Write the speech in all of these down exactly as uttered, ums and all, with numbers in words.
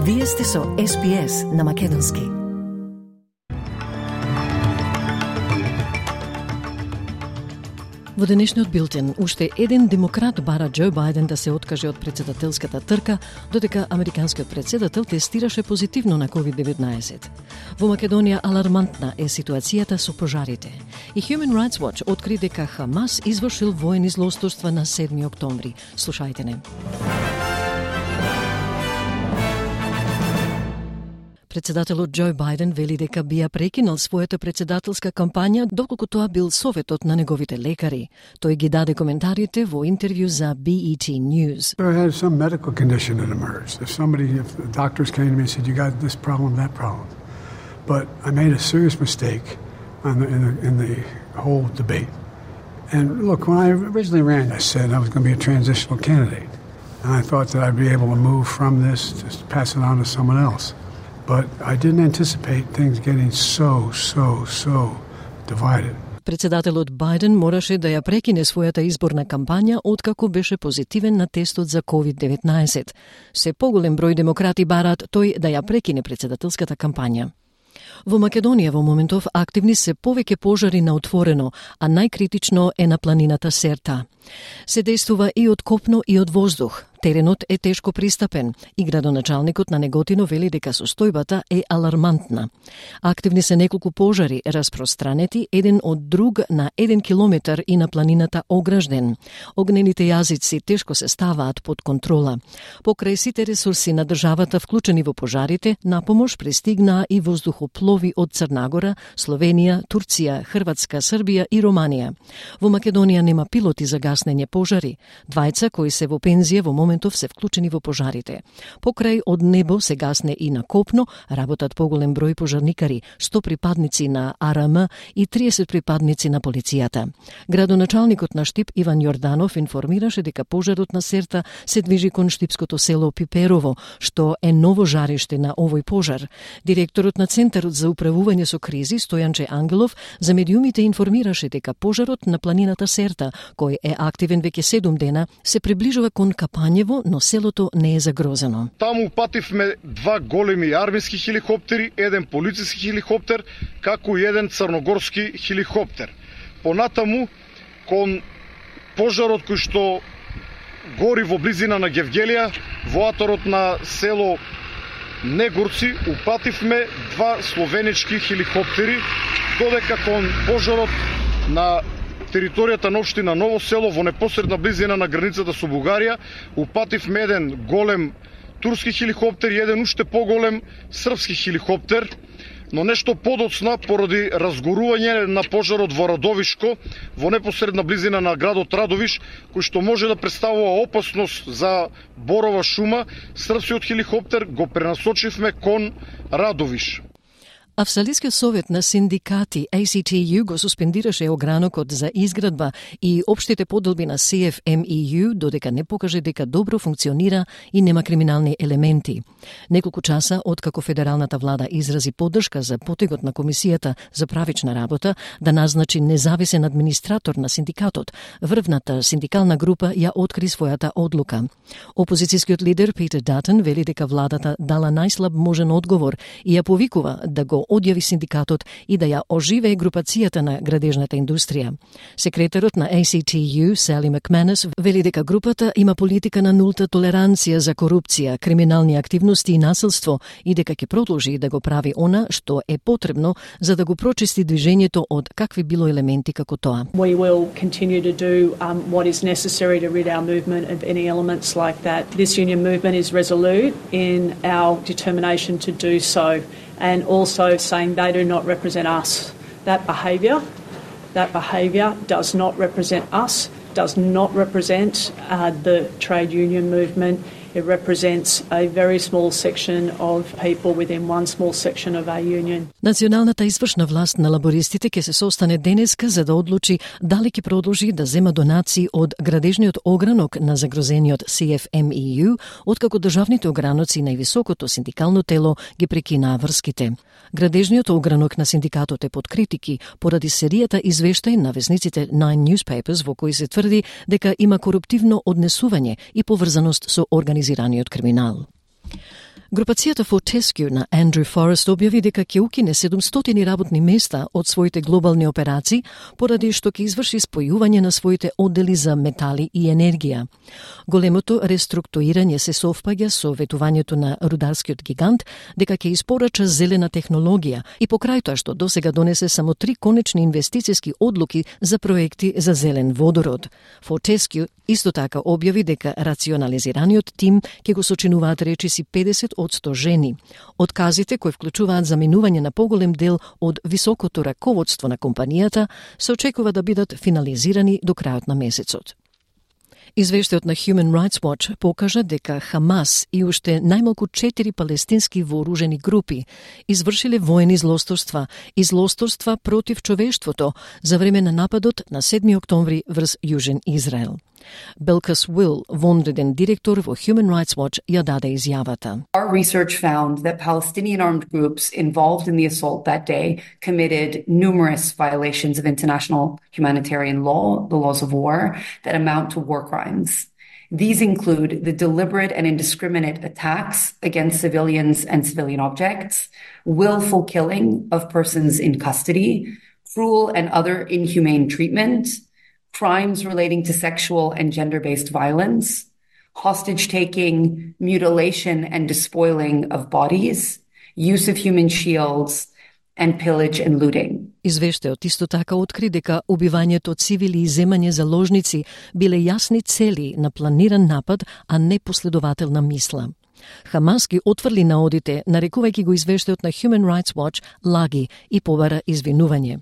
Вие сте со Ес Би Ес на Македонски. Во денешниот билтен, уште еден демократ бара Џо Бајден да се откаже од председателската трка, додека американскиот председател тестираше позитивно на ковид деветнаесет. Во Македонија алармантна е ситуацијата со пожарите. И Human Rights Watch откри дека Хамас извршил воени злосторства на седми октомври. Слушајте не. Председателот Џо Бајден вели дека би ја прекинал својата председателска кампања доколку тоа бил советот на неговите лекари. Тој ги даде коментарите во интервју за Би И Ти News. I had some medical condition that emerged. If somebody, if the doctors came to me and said, you got this problem, that problem. But I made a serious mistake on the, in, the, in the whole debate. And look, when I originally ran, I said I was going to be a transitional candidate. And I thought that I'd be able to move from this to pass it on to someone else. But I didn't anticipate things getting so, so, so divided. Председателот Бајден мораше да ја прекине својата изборна кампања откако беше позитивен на тестот за ковид деветнаесет. Се поголем број демократи бараат тој да ја прекине председателската кампања. Во Македонија во моментов активни се повеќе пожари на отворено, а најкритично е на планината Серта. Се действува и од копно и од воздух. Теренот е тешко пристапен и градоначалникот на Неготино вели дека состојбата е алармантна. Активни се неколку пожари распространети еден од друг на еден километар и на планината Огражден. Огнените јазици тешко се ставаат под контрола. Покрај сите ресурси на државата вклучени во пожарите, на помош пристигнаа и воздухоплови од Црнагора, Словенија, Турција, Хрватска, Србија и Романија. Во Македонија нема пилоти за гаснење пожари. Двајца кои се во пензија во моментов се вклучени во пожарите. Покрај од небо се гасне и на копно, работат поголем број пожарникари, сто припадници на А Р М и триесет припадници на полицијата. Градоначалникот на Штип Иван Јорданов информираше дека пожарот на Серта се движи кон штипското село Пиперово, што е ново жариште на овој пожар. Директорот на Центарот за управување со кризи Стојанче Ангелов за медиумите информираше дека пожарот на планината Серта, кој е активен веќе седум дена, се приближува кон Капањево, но селото не е загрозено. Таму упативме два големи армиски хеликоптери, еден полициски хеликоптер, како и еден црногорски хеликоптер. Понатаму, кон пожарот кој што гори во близина на Гевгелија, во аторот на село Негорци, упативме два словенички хеликоптери, додека кон пожарот на територијата на општина Ново село во непосредна близина на границата со Бугарија, упативме еден голем турски хеликоптер и еден уште поголем српски хеликоптер, но нешто подоцна поради разгорување на пожарот во Радовишко, во непосредна близина на градот Радовиш, кој што може да представува опасност за борова шума, српскиот хеликоптер го пренасочивме кон Радовиш. Австралискиот совет на синдикати А Си Ти Ю го суспендираше огранокот за изградба и општите поделби на Си Еф Ем И Ю додека не покаже дека добро функционира и нема криминални елементи. Неколку часа откако федералната влада изрази поддршка за потегот на Комисијата за правична работа да назначи независен администратор на синдикатот, врвната синдикална група ја откри својата одлука. Опозицијскиот лидер Питер Датон вели дека владата дала најслаб можен одговор и ја повикува да го одјави синдикатот и да ја оживее групацијата на градежната индустрија. Секретарот на А Си Ти Ю, Сали Макманус, вели дека групата има политика на нулта толеранција за корупција, криминални активности и насилство и дека ќе продолжи да го прави она што е потребно за да го прочисти движењето од какви било елементи како тоа. We will continue to do um, what is necessary to rid our movement of any elements like that. This union movement is resolute in our determination to do so, and also saying they do not represent us. That behaviour, that behaviour does not represent us, does not represent uh, the trade union movement. It represents a very small section of people within one small section of our union. Националната извршна власт на лабористите ќе се состане денеска за да одлучи дали ќе продолжи да зема донации од градежниот огранок на загрозениот Си Еф Ем И Ю, откако државните ограноци на високото синдикално тело ги прекинаа врските. Градежниот огранок на синдикатот е под критики поради серијата извештаи на весниците Nine Newspapers во кои се тврди дека има коруптивно однесување и поврзаност со организираниот криминал. Групацијата Fortescue на Andrew Forrest објави дека ќе укине седумстотини работни места од своите глобални операции, поради што ќе изврши спојување на своите оддели за метали и енергија. Големото реструктурирање се совпаѓа со ветувањето на рударскиот гигант дека ќе испорача зелена технологија и покрај тоа што досега донесе само три конечни инвестициски одлуки за проекти за зелен водород. Fortescue исто така објави дека рационализираниот тим ќе го сочинуваат речиси педесет одсто жени. Отказите кои вклучуваат заменување на поголем дел од високото раководство на компанијата се очекува да бидат финализирани до крајот на месецот. Извештајот на Human Rights Watch покажа дека Хамас и уште најмалку четири палестински вооружени групи извршиле воени злосторства и злосторства против човештвото за време на нападот на седми октомври врз Јужен Израел. Белкас Уил, вонреден директор во Human Rights Watch, ја даде изјавата. Our research found that Palestinian armed groups involved in the assault that day committed numerous violations of international humanitarian law, the laws of war, that amount to war crimes. These include the deliberate and indiscriminate attacks against civilians and civilian objects, willful killing of persons in custody, cruel and other inhumane treatment, crimes relating to sexual and gender-based violence, hostage-taking, mutilation and despoiling of bodies, use of human shields, and pillage and looting. Извештајот исто така откри дека убивањето цивили и земање заложници биле јасни цели на планиран напад, а не последователна мисла. Хамас ги отврли наодите, нарекувајќи го извештајот на Human Rights Watch лаги и побара извинување.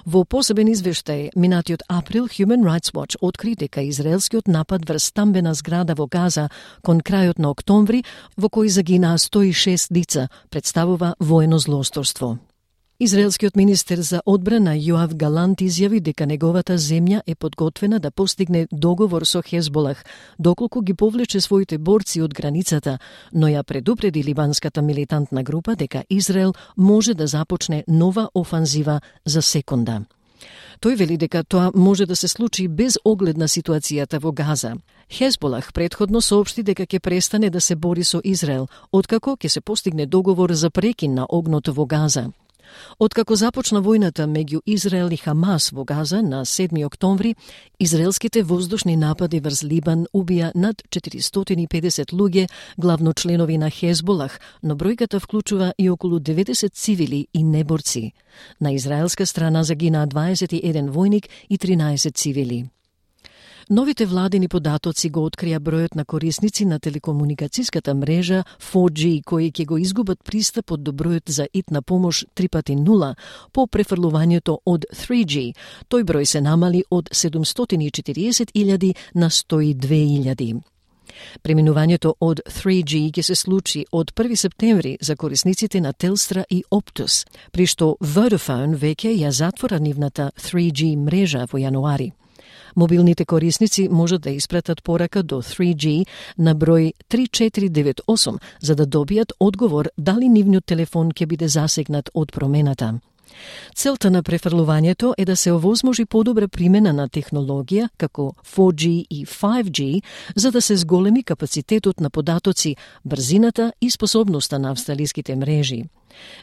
Во посебен извештај, минатиот април, Human Rights Watch откри дека израелскиот напад врз стамбена зграда во Газа кон крајот на октомври, во кој загинаа сто и шест лица, представува воено злосторство. Израелскиот министер за одбрана Јоав Галант изјави дека неговата земја е подготвена да постигне договор со Хезболах, доколку ги повлече своите борци од границата, но ја предупреди либанската милитантна група дека Израел може да започне нова офанзива за секунда. Тој вели дека тоа може да се случи без оглед на ситуацијата во Газа. Хезболах предходно соопшти дека ќе престане да се бори со Израел, откако ќе се постигне договор за прекин на огнот во Газа. Откако започна војната меѓу Израел и Хамас во Газа на седми октомври, израелските воздушни напади врз Либан убија над четиристотини и педесет луѓе, главно членови на Хезболах, но бројката вклучува и околу деветдесет цивили и неборци. На израелска страна загинаа дваесет и еден војник и тринаесет цивили. Новите владини податоци го открија бројот на корисници на телекомуникацијската мрежа фор џи кои ќе го изгубат пристапот до бројот за итна помош три пати нула по префрлувањето од три џи. Тој број се намали од седумстотини и четириесет илјади на сто и две илјади. Преминувањето од три џи ќе се случи од први септември за корисниците на Телстра и Оптус, при што Vodafone веќе ја затвора нивната три џи мрежа во јануари. Мобилните корисници можат да испратат порака до три џи на број три четири девет осум за да добијат одговор дали нивниот телефон ќе биде засегнат од промената. Целта на префрлувањето е да се овозможи подобра примена на технологија како фор џи и пет џи за да се зголеми капацитетот на податоци, брзината и способноста на австралиските мрежи.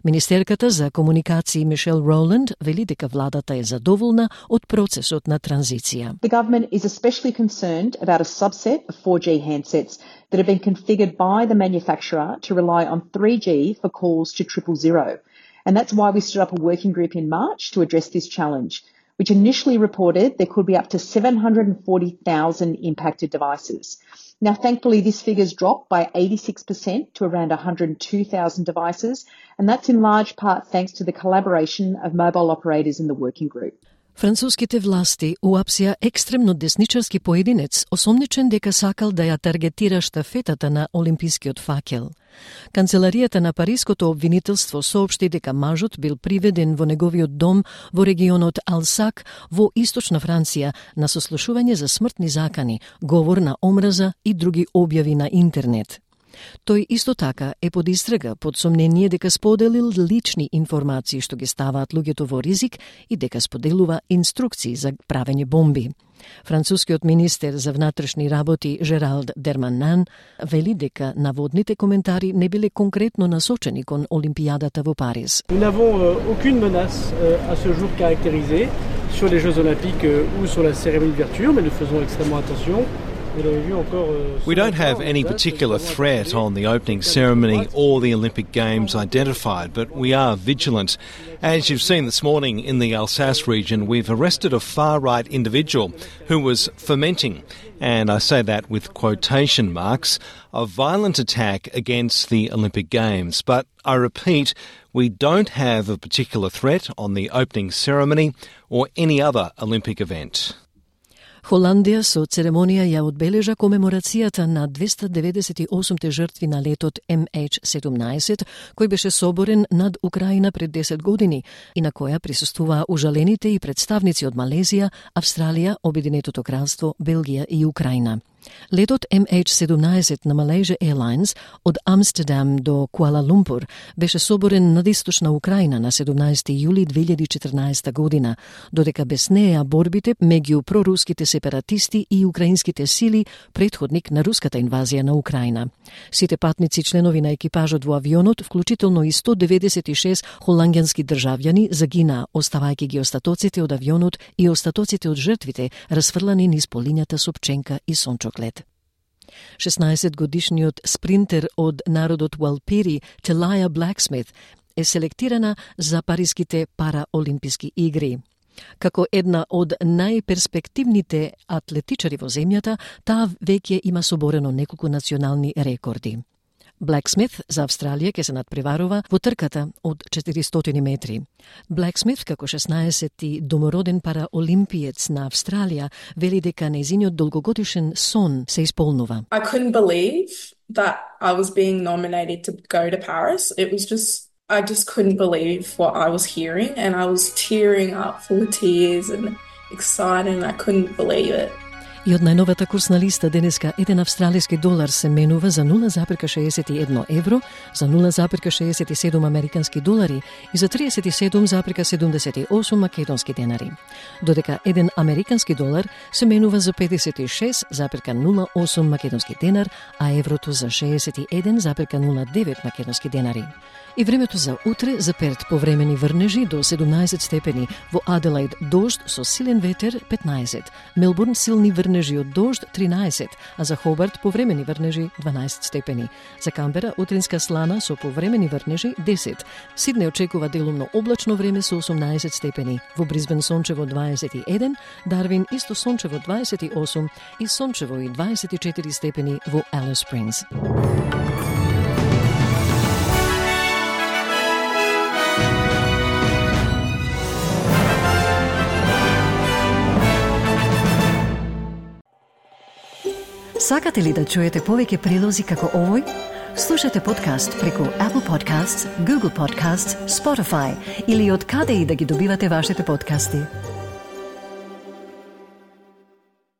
Министерката за комуникации Мишел Роланд вели дека владата е задоволна од процесот на транзиција. The government is especially concerned about a subset of four G handsets that have been configured by the manufacturer to rely on three G for calls to triple zero. And that's why we stood up a working group in March to address this challenge, which initially reported there could be up to seven hundred forty thousand impacted devices. Now, thankfully, this figure's dropped by eighty-six percent to around one hundred two thousand devices, and that's in large part thanks to the collaboration of mobile operators in the working group. Француските власти уапсија екстремно десничарски поединец, осомничен дека сакал да ја таргетира штафетата на олимпискиот факел. Канцеларијата на Париското обвинителство соопшти дека мажот бил приведен во неговиот дом во регионот Алсак во источна Франција на сослушување за смртни закани, говор на омраза и други објави на интернет. Тој исто така е под истрага под сомнение дека споделил лични информации што ги ставаат луѓето во ризик и дека споделува инструкции за правење бомби. Францускиот министер за внатрешни работи Жералд Дерманан вели дека наводните коментари не биле конкретно насочени кон Олимпијадата во Париз. Nous n'avons euh, aucune menace euh, à ce jour caractérisée sur les Jeux Olympiques euh, ou sur la cérémonie d'ouverture, mais nous faisons extrêmement attention. We don't have any particular threat on the opening ceremony or the Olympic Games identified, but we are vigilant. As you've seen this morning in the Alsace region, we've arrested a far-right individual who was fomenting, and I say that with quotation marks, a violent attack against the Olympic Games. But I repeat, we don't have a particular threat on the opening ceremony or any other Olympic event. Холандија со церемонија ја одбележа комеморацијата на двеста деветдесет и осумте жртви на летот Ем Еч седумнаесет, кој беше соборен над Украина пред десет години и на која присуствуваа ужалените и представници од Малезија, Австралија, Обединетото кралство, Белгија и Украина. Летот Ем Еч седумнаесет на Malaysia Airlines од Амстердам до Куала Лумпур беше соборен над источна Украина на седумнаесети јули две илјади и четрнаесета година, додека без неа борбите меѓу проруските сепаратисти и украинските сили претходник на руската инвазија на Украина. Сите патници членови на екипажот во авионот, вклучително и сто деветдесет и шест холандјански државјани, загинаа, оставајќи ги остатоците од авионот и остатоците од жртвите расфрлани низ полињата со пченка и сончоклет. шеснаесетгодишниот спринтер од народот Уалпири, Телаја Блаксмит, е селектирана за париските параолимписки игри. Како една од најперспективните атлетичари во земјата, таа веќе има соборено неколку национални рекорди. Блаксмит за Австралија ќе се надпреварува во трката од четиристотини метри. Блаксмит, како шеснаесети домороден параолимпиец на Австралија, вели дека нејзиниот долгогодишен сон се исполнува. I couldn't believe that I was being nominated to go to Paris. It was just I just couldn't believe what I was hearing, and I was tearing up, full of tears and excited, and I couldn't believe it. И од најновата курсна листа денеска еден австралиски долар се менува за нула запирка шеесет и едно евро, за нула запирка шеесет и седум американски долари и за триесет и седум запирка седумдесет и осум македонски денари. Додека еден американски долар се менува за педесет и шест запирка нула осум македонски денар, а еврото за шеесет и еден запирка нула девет македонски денари. И времето за утре за Перт повремени врнежи до седумнаесет степени, во Аделаид дожд со силен ветер петнаесет, Мелбурн силни врнежи од дожд тринаесет, а за Хобарт повремени врнежи дванаесет степени. За Камбера утринска слана со повремени врнежи десет. Сиднеј очекува делумно облачно време со осумнаесет степени. Во Брисбен сончево дваесет и еден, Дарвин исто сончево дваесет и осум и сончево и дваесет и четири степени во Алис Спрингс. Сакате ли да чуете повеќе прилози како овој? Слушате подкаст преку Apple Podcasts, Google Podcasts, Spotify или од каде и да ги добивате вашите подкасти.